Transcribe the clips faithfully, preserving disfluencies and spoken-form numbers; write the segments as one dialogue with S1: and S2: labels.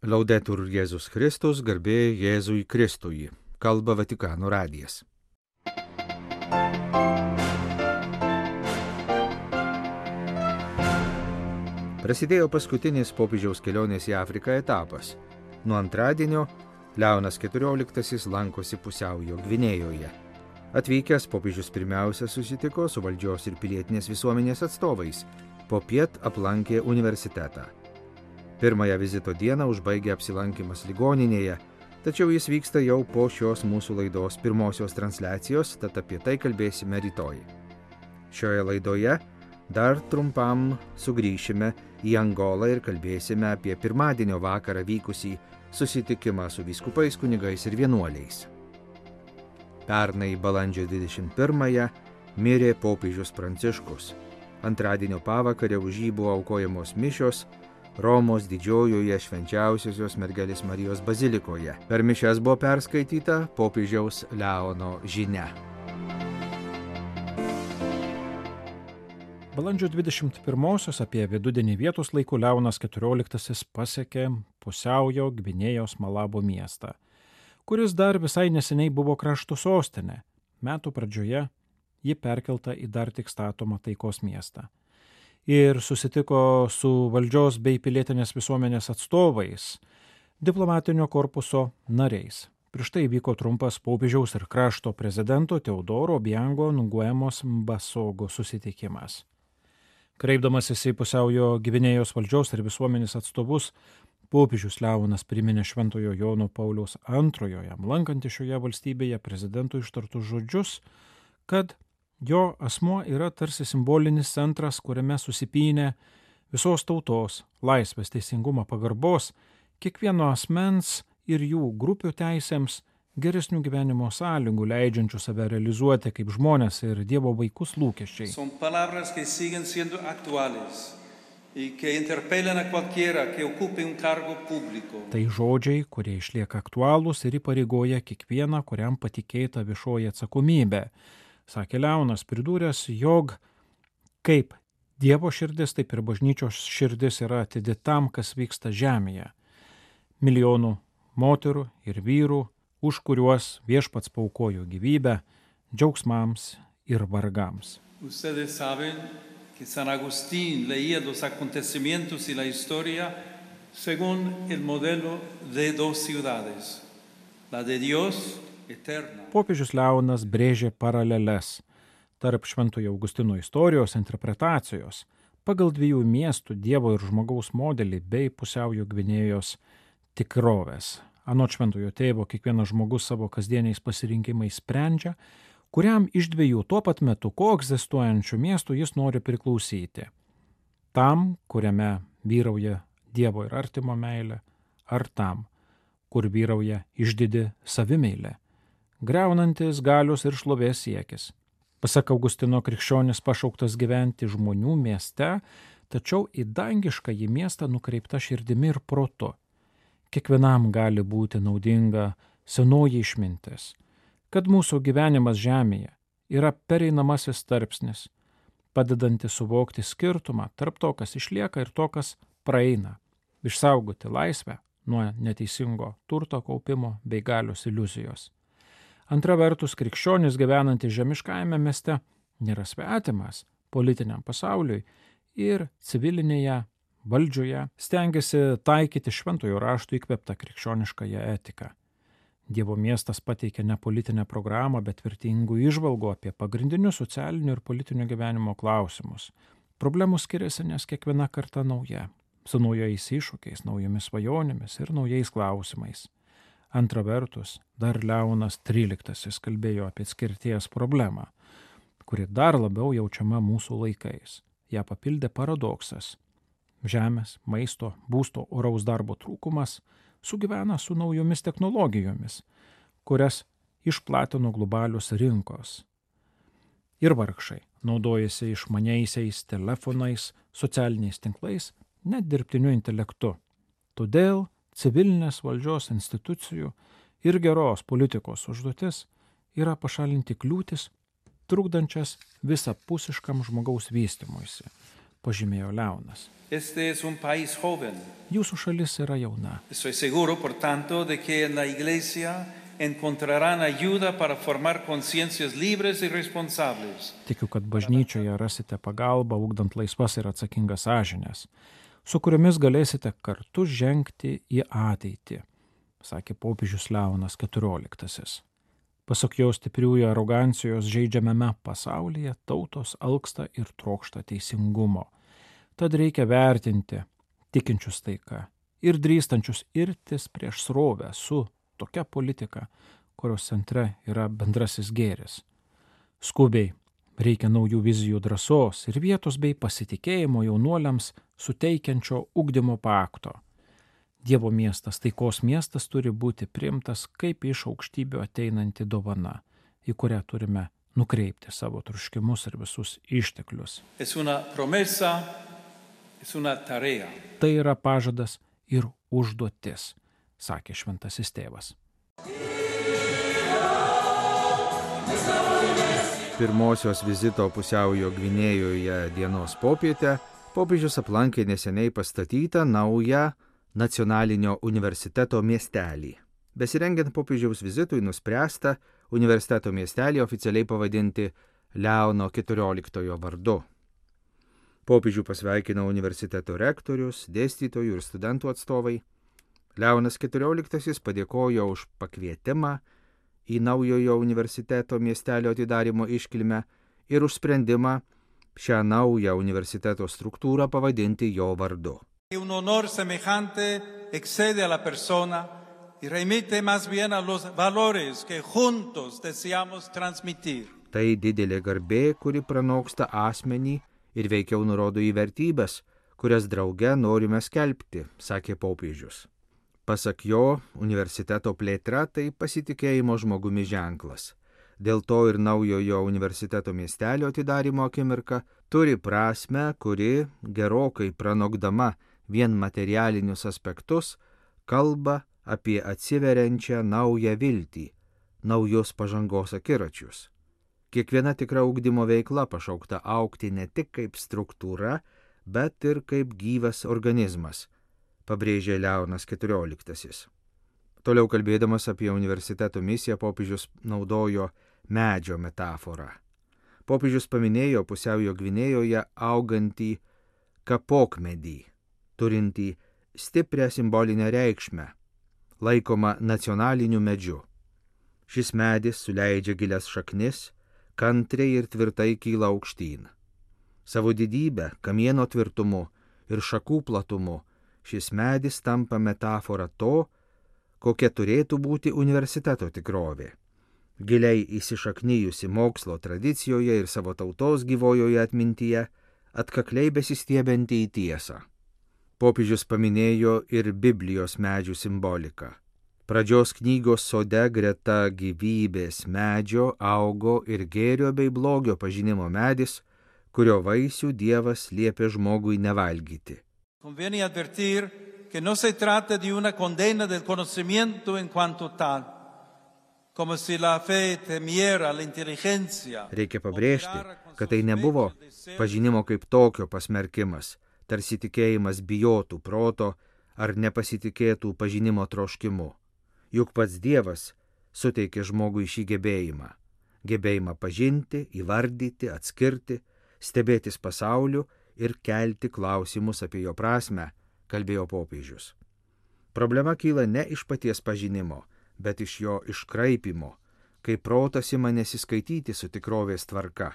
S1: Laudetur Jėzus Kristus, garbė Jėzui Kristui. Kalba Vatikano radijas. Prasidėjo paskutinis popiežiaus kelionės į Afriką etapas. Nuo antradienio Leonas keturioliktasis lankosi Pusiaujo Gvinėjoje. Atvykęs popiežius pirmiausia susitiko su valdžios ir pilietinės visuomenės atstovais. Popiet aplankė universitetą. Pirmąją vizito dieną užbaigė apsilankymas ligoninėje, tačiau jis vyksta jau po šios mūsų laidos pirmosios transliacijos, tad apie tai kalbėsime rytoj. Šioje laidoje dar trumpam sugrįšime į Angolą ir kalbėsime apie pirmadienio vakarą vykusį susitikimą su vyskupais, kunigais ir vienuoliais. Pernai balandžio dvidešimt pirmąją mirė popiežius Pranciškus. Antradienio pavakarę už jį buvo aukojamos mišios Romos didžiojoje švenčiausiosios mergelės Marijos bazilikoje. Per mišias buvo perskaityta popiežiaus Leono žinia.
S2: Balandžio dvidešimt pirmosios apie vidudienį vietos laiku Leonas keturioliktasis pasiekė Pusiaujo Gvinėjos Malabo miestą, kuris dar visai neseniai buvo krašto sostinė. Metų pradžioje ji perkelta į dar tik statomą taikos miestą. Ir susitiko su valdžios bei pilietinės visuomenės atstovais, diplomatinio korpuso nariais. Prieš tai vyko trumpas popiežiaus ir krašto prezidento Teodoro Obiango Nguemos Mbasogo susitikimas. Kreipdamasis į Pusiaujo Gvinėjos valdžios ir visuomenės atstovus, popiežius Leonas priminė Šventojo Jono Pauliaus antrojo jam lankantį šioje valstybėje prezidentui ištartus žodžius, kad jo asmuo yra tarsi simbolinis centras, kuriame susipynė visos tautos, laisvės, teisingumo, pagarbos, kiekvieno asmens ir jų grupių teisėms, geresnių gyvenimo sąlygų, leidžiančių save realizuoti kaip žmonės ir Dievo vaikus lūkesčiai.
S3: Son palabras que siguen siendo actuales y que interpelan a cualquiera que ocupe un cargo público.
S2: Tai žodžiai, kurie išlieka aktualūs ir įpareigoja kiekvieną, kuriam patikėta viešoji atsakomybė. Sakė Leonas, pridūręs, jog kaip Dievo širdis, taip ir bažnyčios širdis yra atidi tam, kas vyksta žemėje. Milijonų moterų ir vyrų, už kuriuos viešpats paaukojo gyvybę, džiaugsmams ir vargams.
S3: Ustedes saben que San Agustín leía los acontecimientos y la historia según el modelo de dos ciudades, la de Dios eterna.
S2: Popiežius Leonas brėžė paraleles tarp Šventojo Augustino istorijos interpretacijos pagal dviejų miestų Dievo ir žmogaus modelį bei Pusiaujo Gvinėjos tikrovės. Anot Šventojo tėvo, kiekvienas žmogus savo kasdieniais pasirinkimais sprendžia, kuriam iš dviejų tuo pat metu koegzistuojančių miestų jis nori priklausyti. Tam, kuriame vyrauja Dievo ir artimo meilė, ar tam, kur vyrauja išdidi savimeilė, greunantis galios ir šlovės siekis. Pasak Augustino, krikščionis pašauktas gyventi žmonių mieste, tačiau į dangiškąjį miestą nukreipta širdimi ir protu. Kiekvienam gali būti naudinga senoji išmintis, kad mūsų gyvenimas žemėje yra pereinamasis tarpsnis, padedantis suvokti skirtumą tarp to, kas išlieka ir to, kas praeina, išsaugoti laisvę nuo neteisingo turto kaupimo bei galios iliuzijos. Antra vertus, krikščionis gyvenantis žemiškajame mieste nėra svetimas politiniam pasauliui ir civilinėje valdžioje stengiasi taikyti šventojo rašto įkvėptą krikščioniškąją etiką. Dievo miestas pateikia ne politinę programą, bet vertingų įžvalgų apie pagrindinius socialinių ir politinio gyvenimo klausimus. Problemų skiriasi, nes kiekviena karta nauja, su naujais iššūkiais, naujomis svajonėmis ir naujais klausimais. Antra vertus, dar Leonas tryliktasis kalbėjo apie atskirties problemą, kuri dar labiau jaučiama mūsų laikais. Ja papildė paradoksas. Žemės, maisto, būsto, oraus darbo trūkumas sugyvena su naujomis technologijomis, kurias išplatino globalios rinkos. Ir vargšai naudojasi išmaniaisiais telefonais, socialiniais tinklais, net dirbtiniu intelektu. Todėl civilinės valdžios institucijų ir geros politikos užduotis yra pašalinti kliūtis, trukdančias visapusiškam žmogaus vystymuisi, pažymėjo Leonas.
S3: Este es un país joven.
S2: Jūsų šalis yra jauna.
S3: Estoy seguro, por tanto, de que en la iglesia encontrarán ayuda para formar conciencias libres y responsables.
S2: Tikiu, kad bažnyčioje rasite pagalbą, ugdant laisvas ir atsakingas sąžines, su kuriomis galėsite kartu žengti į ateitį, sakė popiežius Leonas keturioliktasis. Pasak jo stipriųjų arogancijos žaidžiamame pasaulyje tautos alksta ir trokšta teisingumo. Tad reikia vertinti tikinčius taika ir drįstančius irtis prieš srovę su tokia politika, kurios centre yra bendrasis gėris. Skubiai reikia naujų vizijų drąsos ir vietos bei pasitikėjimo jaunuoliams suteikiančio ugdymo pakto. Dievo miestas, taikos miestas turi būti priimtas kaip iš aukštybių ateinanti dovana, į kurią turime nukreipti savo troškimus ir visus išteklius.
S3: Es una promesa, es una tarea.
S2: Tai yra pažadas ir užduotis, sakė šventasis tėvas.
S1: Pirmosios vizito Pusiaujo Gvinėjoje dienos popietę popiežius aplankė neseniai pastatytą naują nacionalinio universiteto miestelį. Besirengiant popiežiaus vizitui nuspręsta universiteto miestelį oficialiai pavadinti Leono keturioliktojo vardu. Popiežių pasveikino universiteto rektorius, dėstytojų ir studentų atstovai. Leonas keturioliktasis padėkojo už pakvietimą į naujojo universiteto miestelio atidarymo iškilmę ir už sprendimą šią naują universiteto struktūrą pavadinti jo vardu.
S3: Un honor semejante excede a la persona y remite más bien a los valores que juntos deseamos transmitir.
S1: Tai didelė garbė, kuri pranoksta asmenį ir veikiau nurodo į vertybės, kurias drauge norime skelbti, sakė popiežius. Pasak jo, universiteto plėtra tai pasitikėjimo žmogumi ženklas. Dėl to ir naujojo universiteto miestelio atidarymo akimirka turi prasmę, kuri gerokai pranokdama vien materialinius aspektus kalba apie atsiveriančią naują viltį, naujus pažangos akiračius. Kiekviena tikra ugdymo veikla pašaukta augti ne tik kaip struktūra, bet ir kaip gyvas organizmas, pabrėžė Leonas keturioliktasis. Toliau kalbėdamas apie universiteto misiją, popiežius naudojo medžio metaforą. Popiežius paminėjo Pusiaujo Gvinėjoje augantį kapokmedį, turintį stiprią simbolinę reikšmę, laikoma nacionaliniu medžiu. Šis medis suleidžia gilias šaknis, kantriai ir tvirtai kyla aukštyn. Savo didybę, kamieno tvirtumu ir šakų platumu šis medis tampa metafora to, kokia turėtų būti universiteto tikrovė. Giliai įsišaknyjusi mokslo tradicijoje ir savo tautos gyvojoje atmintyje, atkakliai besistiebianti į tiesą. Popiežius paminėjo ir Biblijos medžių simboliką. Pradžios knygos sode greta gyvybės medžio augo ir gėrio bei blogio pažinimo medis, kurio vaisių Dievas liepė žmogui nevalgyti.
S3: Conviene advertir que no se trata de una condena del conocimiento en cuanto tal, como si la fe temiera la inteligencia.
S1: Reikia pabrėžti, kad tai nebuvo pažinimo kaip tokio pasmerkimas, tarsi tikėjimas bijotų proto ar nepasitikėtų pažinimo troškimu. Juk pats Dievas suteikė žmogui šį gebėjimą. Gebėjimą pažinti, įvardyti, atskirti, stebėtis pasauliu ir kelti klausimus apie jo prasmę, kalbėjo popiežius. Problema kyla ne iš paties pažinimo, bet iš jo iškraipimo, kai protas ima nesiskaityti su tikrovės tvarka,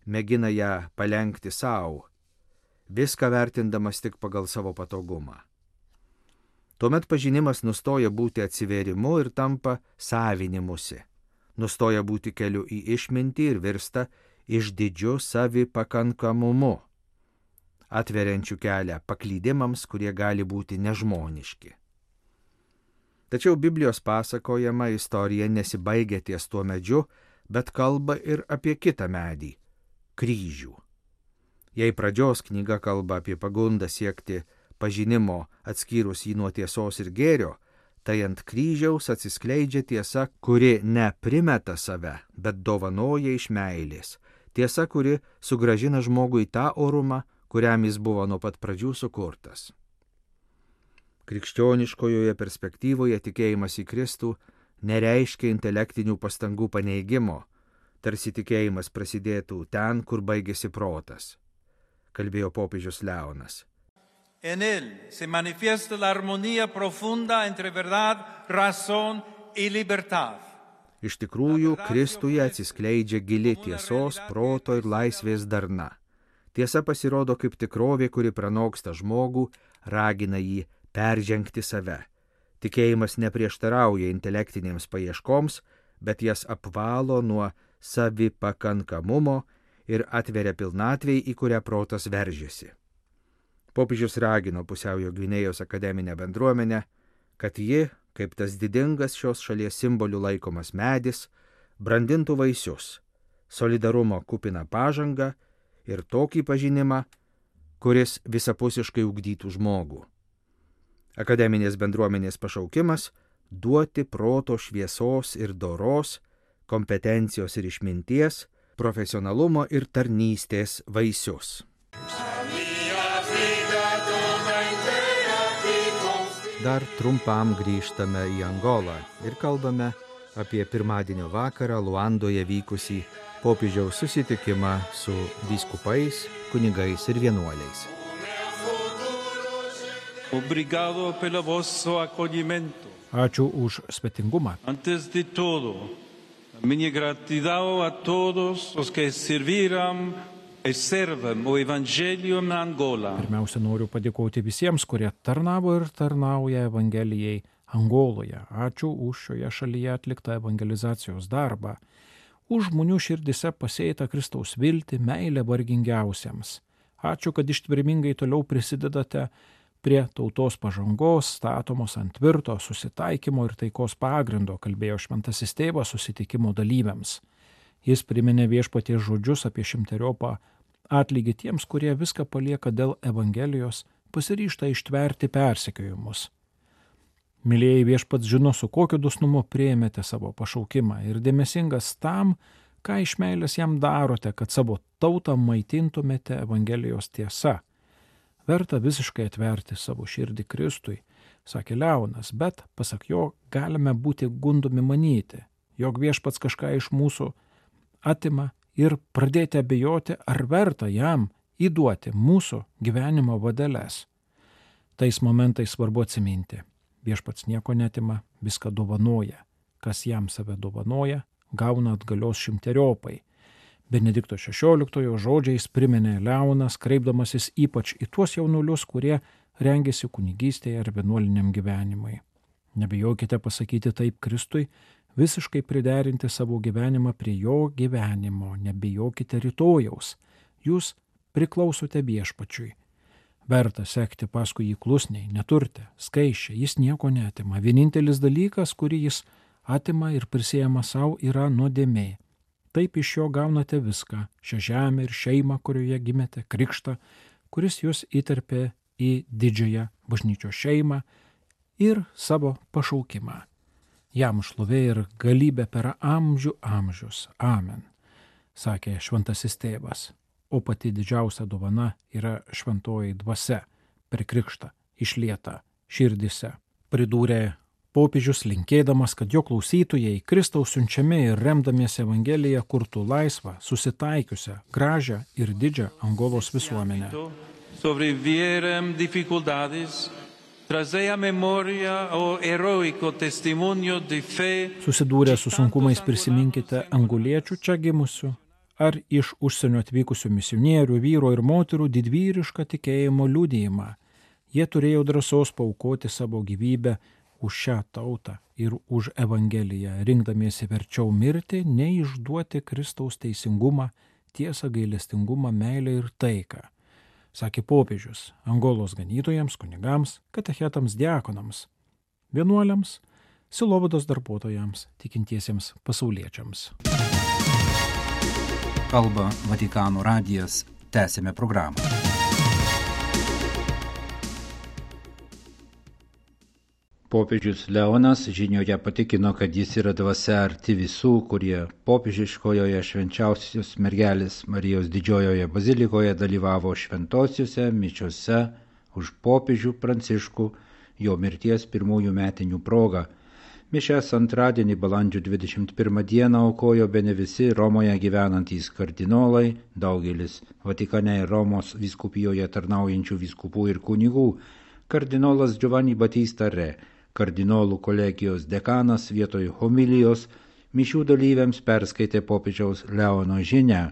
S1: mėgina ją palenkti savo, viską vertindamas tik pagal savo patogumą. Tuomet pažinimas nustoja būti atsivėrimu ir tampa savinimusi, nustoja būti keliu į išmintį ir virsta išdidžiu savipakankamumu, atveriančių kelią paklydimams, kurie gali būti nežmoniški. Tačiau Biblijos pasakojama istorija nesibaigia ties tuo medžiu, bet kalba ir apie kitą medį – kryžių. Jei pradžios knyga kalba apie pagundą siekti pažinimo atskyrus jį nuo tiesos ir gėrio, tai ant kryžiaus atsiskleidžia tiesa, kuri ne primeta save, bet dovanoja iš meilės. Tiesa, kuri sugrąžina žmogui tą orumą, kuriam jis buvo nuo pat pradžių sukurtas. Krikščioniškojoje perspektyvoje tikėjimas į Kristų nereiškia intelektinių pastangų paneigimo, tarsi tikėjimas prasidėtų ten, kur baigėsi protas, kalbėjo popiežius Leonas.
S3: En él se manifiesta la armonía profunda entre verdad, razón y libertad.
S1: Iš tikrųjų, Kristuje atsiskleidžia gili tiesos, proto ir laisvės darna. Tiesa pasirodo kaip tikrovė, kuri pranoksta žmogų, ragina jį peržengti save. Tikėjimas neprieštarauja intelektinėms paieškoms, bet jas apvalo nuo savipakankamumo ir atveria pilnatvei, į kurią protas veržiasi. Popiežius ragino Pusiaujo Gvinėjos akademinę bendruomenę, kad ji, kaip tas didingas šios šalies simbolių laikomas medis, brandintų vaisius, solidarumo kupiną pažangą ir tokį pažinimą, kuris visapusiškai ugdytų žmogų. Akademinės bendruomenės pašaukimas – duoti proto šviesos ir doros, kompetencijos ir išminties, profesionalumo ir tarnystės vaisius. Dar trumpam grįžtame į Angolą ir kalbame apie pirmadienio vakarą Luandoje vykusį popiežiaus susitikimą su vyskupais, kunigais ir vienuoliais.
S3: Obrigado pelo vosso acolhimento.
S2: Ačiū už svetingumą.
S3: Antes de todo, minha gratidão a todos os que serviram e servem o Evangelho em Angola.
S2: Pirmiausia, noriu padėkoti visiems, kurie tarnavo ir tarnauja Evangelijai Angoloje. Ačiū už šioje šalyje atliktą evangelizacijos darbą, už žmonių širdise pasėtą Kristaus viltį, meilę vargingiausiems. Ačiū, kad ištvermingai toliau prisidedate prie tautos pažangos, statomos ant tvirto susitaikymo ir taikos pagrindo, kalbėjo šventasis tėvas susitikimo dalyviams. Jis priminė viešpaties žodžius apie šimteriopą atlygį tiems, kurie viską palieka dėl Evangelijos, pasiryžta ištverti persekiojimus. Mylėjai, viešpats žino, su kokiu dosnumu priėmėte savo pašaukimą ir dėmesingas tam, ką iš meilės jam darote, kad savo tautą maitintumėte Evangelijos tiesa. Verta visiškai atverti savo širdį Kristui, sakė Leonas, bet, pasak jo, galime būti gundomi manyti, jog viešpats kažką iš mūsų atima ir pradėti abejoti, ar verta jam įduoti mūsų gyvenimo vadeles. Tais momentais svarbu atsiminti, viešpats nieko netima, viską dovanoja, kas jam save dovanoja, gauna atgalios šimteriopai. Benedikto šešioliktojo žodžiais priminė Leonas, kreipdamasis ypač į tuos jaunuolius, kurie rengėsi kunigystėje ar vienuoliniam gyvenimui. Nebijokite pasakyti taip Kristui, visiškai priderinti savo gyvenimą prie jo gyvenimo, nebijokite rytojaus, jūs priklausote viešpačiui. Verta sekti paskui jį klusniai, neturte, skaičiai, jis nieko neatima. Vienintelis dalykas, kurį jis atima ir prisijama savo, yra nuodėmė. Taip iš jo gaunate viską, šią žemę ir šeimą, kurioje gimėte, krikštą, kuris jūs įterpė į didžiąją bažnyčios šeimą ir savo pašaukimą. Jam šlovė ir galybė per amžių amžius. Amen, sakė šventasis tėvas. O pati didžiausia dovana yra šventoji dvasia per krikštą išlieta širdise. Pridūrė popiežius, linkėdamas, kad jo klausytojai Kristaus siunčiami ir remdamiesi Evangeliją kurtų laisvą, susitaikiusią, gražią ir didžią Angolos visuomenę.
S3: Sobrevivieran dificultades, trazea memoria o heroico testimonio de fe.
S2: Susidūrę su sunkumais prisiminkite angoliečių čia gimusių ar iš užsienio atvykusių misionierių, vyro ir moterų didvyrišką tikėjimo liudijimą. Jie turėjo drąsos paaukoti savo gyvybę už šią tautą ir už Evangeliją, rinkdamiesi verčiau mirti, nei išduoti Kristaus teisingumą, tiesą, gailestingumą, meilę ir taiką. Sakė popiežius Angolos ganytojams, kunigams, katechetams, diakonams, vienuoliams, sielovados darbuotojams, tikintiesiems pasauliečiams.
S4: Kalba Vatikano radijas, tęsėme programą.
S5: Popiežius Leonas žinioje patikino, kad jis yra dvasia arti visų, kurie popiežiškojoje švenčiausios mergelės Marijos didžiojoje bazilikoje dalyvavo šventosiuose mišiose už popiežių Pranciškų jo mirties pirmųjų metinių proga. Mišias antradienį balandžio dvidešimt pirmą dieną aukojo bene visi Romoje gyvenantys kardinolai, daugelis Vatikane ir Romos vyskupijoje tarnaujančių vyskupų ir kunigų, kardinolas Giovanni Battista Re, kardinolų kolegijos dekanas vietoj homilijos mišių dalyviams perskaitė popiežiaus Leono žinią.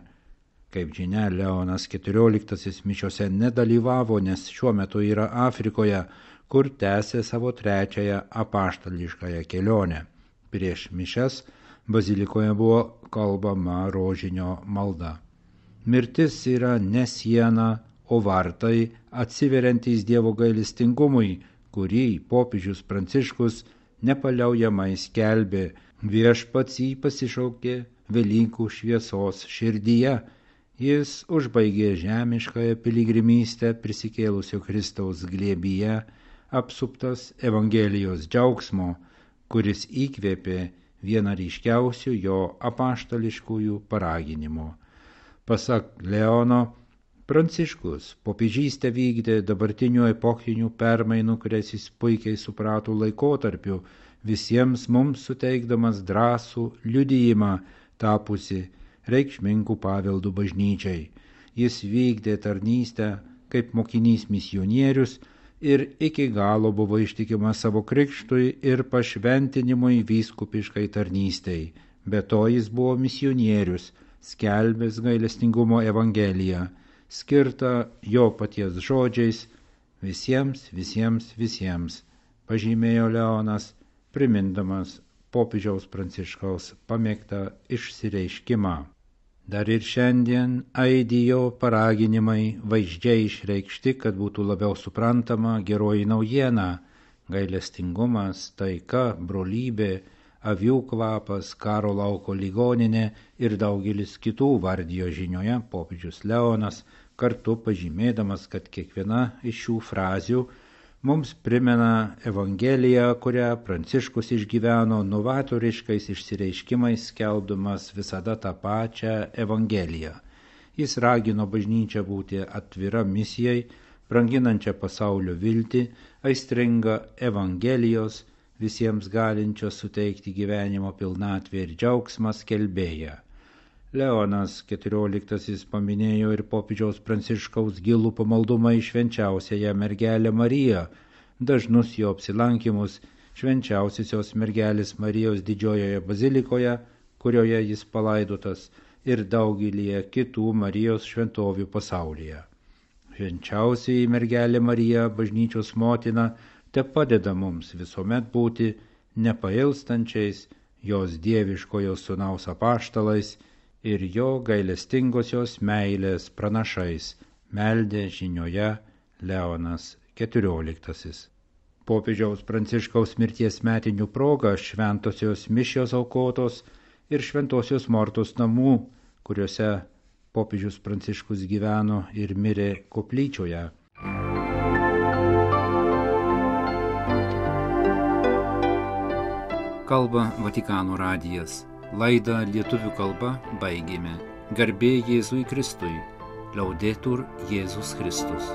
S5: Kaip žinia, Leonas keturioliktasis mišiose nedalyvavo, nes šiuo metu yra Afrikoje, kur tęsė savo trečiąją apaštališkąją kelionę. Prieš mišias bazilikoje buvo kalbama rožinio malda. Mirtis yra ne siena, o vartai atsiveriantys Dievo gailestingumui, kurį popiežius Pranciškus nepaliaujamai skelbė. Viešpats jį pasišaukė Velykų šviesos širdyje. Jis užbaigė žemiškąją piligrimystę prisikėlusio Kristaus glėbyje, apsuptas Evangelijos džiaugsmo, kuris įkvėpė vieną ryškiausių jo apaštališkųjų paraginimų. Pasak Leono, Pranciškus popiežystę vykdė dabartinių epochinių permainų, kurias jis puikiai suprato laikotarpiu, visiems mums suteikdamas drąsų liudijimą tapusi reikšmingų paveldų bažnyčiai. Jis vykdė tarnystę kaip mokinys misionierius ir iki galo buvo ištikimas savo krikštui ir pašventinimui vyskupiškai tarnystei. Be to jis buvo misionierius, skelbęs gailestingumo evangeliją, skirta jo paties žodžiais visiems, visiems, visiems, pažymėjo Leonas, primindamas popiežiaus Pranciškaus pamėgtą išsireiškimą. Dar ir šiandien aidijo paraginimai vaizdžiai išreikšti, kad būtų labiau suprantama geroji naujiena, gailestingumas, taika, brolybė, avių kvapas, karo lauko ligoninė ir daugelis kitų vardijo žinioje popiežius Leonas, kartu pažymėdamas, kad kiekviena iš šių frazių mums primena Evangeliją, kurią Pranciškus išgyveno novatoriškais išsireiškimais, skelbdamas visada tą pačią Evangeliją. Jis ragino bažnyčią būti atvira misijai, branginančią pasaulio viltį, aistringa Evangelijos, visiems galinčios suteikti gyvenimo pilnatvę ir džiaugsmą skelbėją. Leonas keturioliktasis paminėjo ir popiežiaus Pranciškaus gilų pamaldumą į švenčiausiąją mergelę Mariją, dažnus jo apsilankimus švenčiausiosios mergelės Marijos didžiojoje bazilikoje, kurioje jis palaidotas, ir daugelį kitų Marijos šventovių pasaulyje. Švenčiausioji mergelė Marija, bažnyčios motina, te padeda mums visuomet būti nepailstančiais jos dieviškojo sūnaus apaštalais ir jo gailestingosios meilės pranašais, meldė žinioje Leonas keturioliktasis. Popiežiaus Pranciškaus mirties metinių proga šventosios mišios aukotos ir šventosios Mortos namų, kuriuose popiežius Pranciškus gyveno ir mirė koplyčioje.
S4: Kalba Vatikano radijas. Laidą lietuvių kalba baigėme. Garbė Jėzui Kristui. Laudetur Jėzus Kristus.